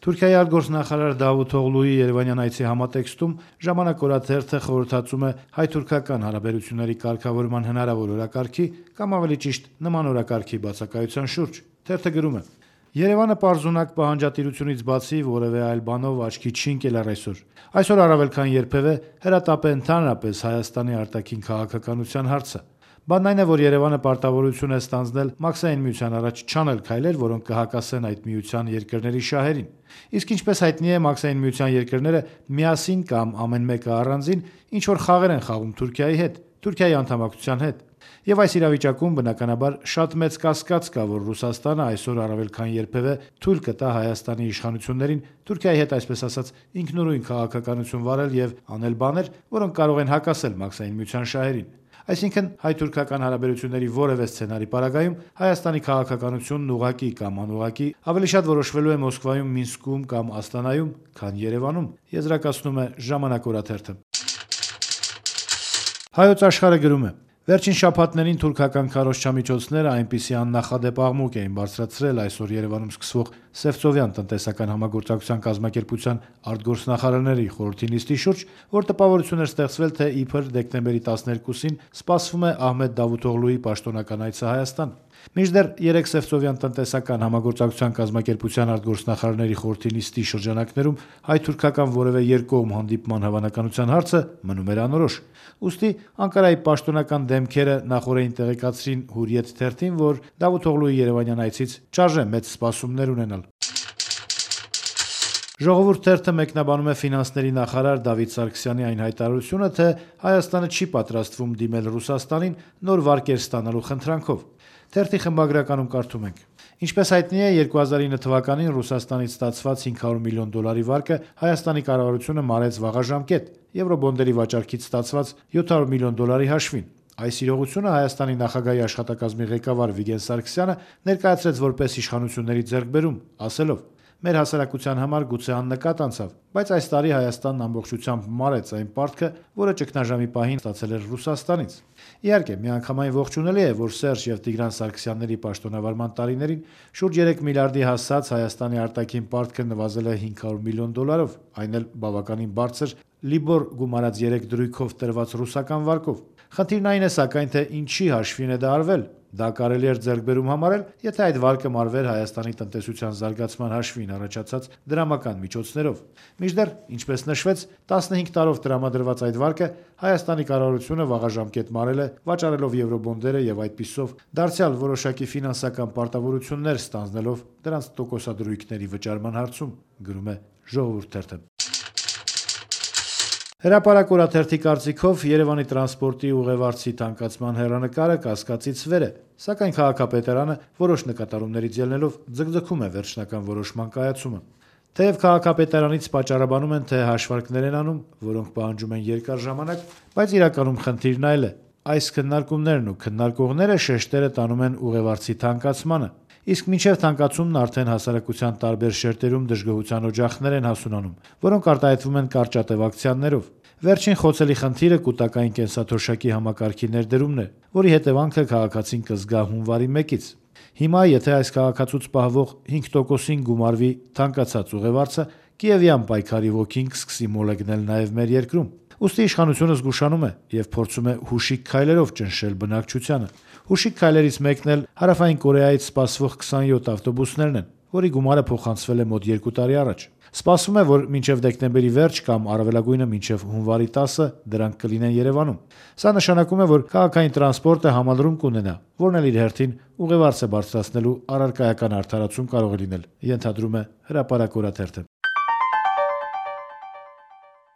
Թուրքիայի արտգործնախարար Դավութ Օղլուի Երևանյան այցի համատեքստում «Ժամանակ» օրաթերթը խորհրդածում է հայ-թուրքական հարաբերությունների կարգավորման հնարավոր օրակարգի կամ ավելի ճիշտ նման օրակարգի բացակայության շուրջ։ Թերթը գրում է. Երևանը պարզունակ պահանջատիրությունից բացի որևէ այլ բանով աչքի չի ընկել այսօր։ Այսօր առավել քան երբևէ հրատապ է ընդհանրապես Հայաստանի արտաքին քաղաքականության հարցը։ Բանն այն է, որ Երևանը պարտավորություն է ստանձնել Մաքսային միության առաջ չանել քայլեր, որոնք կհակասեն այդ միության երկրների շահերին։ Իսկ ինչպես հայտնի է, Մաքսային միության երկրները միասին կամ ամեն մեկը առանձին ինչ-որ խաղեր են խաղում Թուրքիայի հետ, Թուրքիայի անդամակցության հետ։ Եվ այս իրավիճակում բնականաբար շատ մեծ կասկած կա, որ Ռուսաստանը այսօր առավել քան երբևէ թույլ կտա Հայաստանի իշխանություններին Թուրքիայի հետ այսպես ասած ինքնուրույն քաղաքականություն վարել եւ անել բաներ, որոնք կարող են հակասել Մաքսային միության շահերին։ Այսինքն հայ-թուրքական հարաբերությունների որևէ սցենարի պարագայում Հայաստանի քաղաքականությունն ուղղակի կամ անուղղակի ավելի շատ որոշվելու է Մոսկվայում, Մինսկում կամ Աստանայում, քան Երևանում, եզրակացնում է «Ժամանակ» օրաթերթը։ Հայոց Աշխարհը գրում է. Վերջին շաբաթներին թուրքական քարոզչամիջոցները այնպիսի աննախադեպ աղմուկ էին բարձրացրել այսօր Երևանում սկսվող Սևծովյան տնտեսական համագործակցության կազմակերպության արտգործնախարարների խորհրդի նիստի շուրջ, որ տպավորություն էր ստեղծվել, թե իբր դեկտեմբերի 12-ին սպասվում է Ահմեդ Դավութօղլուի պաշտոնական այցը Հայաստան։ Մինչդեռ 3 Սևծովյան տնտեսական համագործակցության կազմակերպության արտգործնախարարների խորհրդի նիստի շրջանակներում հայ-թուրքական որևէ երկկողմ հանդիպման հավանականության հարցը մնում էր անորոշ։ Ուստի Անկարայի պաշտոնական դեմքերը նախօրեին տեղեկացրին Հուրիեթ թերթին, որ Դավութօղլուի Երևանյան այցից չարժե մեծ սպասումներ ունենալ։ Ժողովուրդ թերթը մեկնաբանում է ֆինանսների նախարար Դավիթ Սարգսյանի այն հայտարարությունը, թե Հայաստանը չի պատրաստվում դիմել Ռուսաստանին նոր վարկեր ստանալու խնդրանքով։ Թերթի խմբագրականում կարդում ենք. Ինչպես հայտնի է, 2009 թվականին Ռուսաստանից ստացված $500 միլիոն վարկը Հայաստանի կառավարությունը մարեց վաղաժամկետ եվրոբոնդերի վաճառքից ստացված $700 միլիոն հաշվին։ Այս իրողությունը Հայաստանի նախագահի աշխատակազմի ղեկավար Վիգեն Սարգսյանը ներկայացրեց որպես իշխանությունների ձեռքբերում, ասելով. Մեր հասարակության համար գուցե աննկատ անցավ, բայց այս տարի Հայաստանն ամբողջությամբ մարեց այն պարտքը, որը ճգնաժամի պահին ստացել էր Ռուսաստանից։ Իհարկե, միանգամայն ողջունելի է, որ Սերժ եւ Տիգրան Սարգսյանների պաշտոնավարման տարիներին շուրջ 3 միլիարդի հասած Հայաստանի արտաքին պարտքը նվազել է $500 միլիոն, այն էլ բավականին բարձր Լիբոր գումարած 3 դրույքով տրված ռուսական վարկով։ Խնդիրն այն է սակայն, թե ինչի հաշվին է դա արվել։ Դա կարելի էր ձեռքբերում համարել, եթե այդ վարկը մարվեր Հայաստանի տնտեսության զարգացման հաշվին առաջացած դրամական միջոցներով։ Մինչդեռ, ինչպես նշվեց, 15 տարով տրամադրված այդ վարկը Հայաստանի կառավարությունը վաղաժամկետ մարել է, վաճառելով եվրոբոնդերը եւ այդպիսով դարձյալ որոշակի ֆինանսական պարտավորություններ ստանձնելով դրանց տոկոսադրույքների վճարման հարցում, գրում է Ժողովուրդ թերթը։ Հրապարակ օրաթերթի կարծիքով Երևանի տրանսպորտի ուղևորցի թանկացման հեռանկարը կասկածից վեր է, սակայն քաղաքապետարանը որոշ նկատառումներից ելնելով ձգձգում է վերջնական որոշման կայացումը։ Թեև քաղաքապետարանից պատճառաբանում են, թե հաշվարկներ են անում, որոնք պահանջում են երկար ժամանակ, բայց իրականում խնդիրն այլ է։ Այս քննարկումներն ու քննարկողները շեշտերը տանում են ուղևորցի թանկացմանը, իսկ մինչև թանկացումն արդեն հասարակության տարբեր շերտերում դժգոհության օջախներ են հասունանում, որոնք արտահայտվում են կարճատև ակցիաներով։ Վերջին խոցելի խնդիրը կൂട്ടակային կենսաթոշակի համակարգի ներդրումն է, որի հետևանքը քաղաքացին կզգա հունվարի 1-ից։ Հիմա, եթե այս քաղաքացուց պահվող 5%-ին գումարվի թանկացած ուղևորցը, կիևյան պայքարի ոգին կսկսի մոլեգնել նաև մեր երկրում։ Ուստի իշխանությունը զգուշանում է եւ փորձում է հուշիկ քայլերով ճնշել բնակչությանը։ Հուշիկ քայլերից մեկն էլ Հարավային Կորեայից սպասվող 27 ավտոբուսներն են, որի գումարը փոխանցվել է մոտ 2 տարի առաջ։ Սպասվում է, որ մինչև դեկտեմբերի վերջ կամ առավելագույնը մինչև հունվարի 10-ը դրանք կլինեն Երևանում։ Սա նշանակում է, որ քաղաքային տրանսպորտը համալրում կունենա, որն էլ իր հերթին ուղևորցը բարձրացնելու առարկայական արդարացում կարող է լինել, ենթադրում է Հրապարակ օրաթերթը։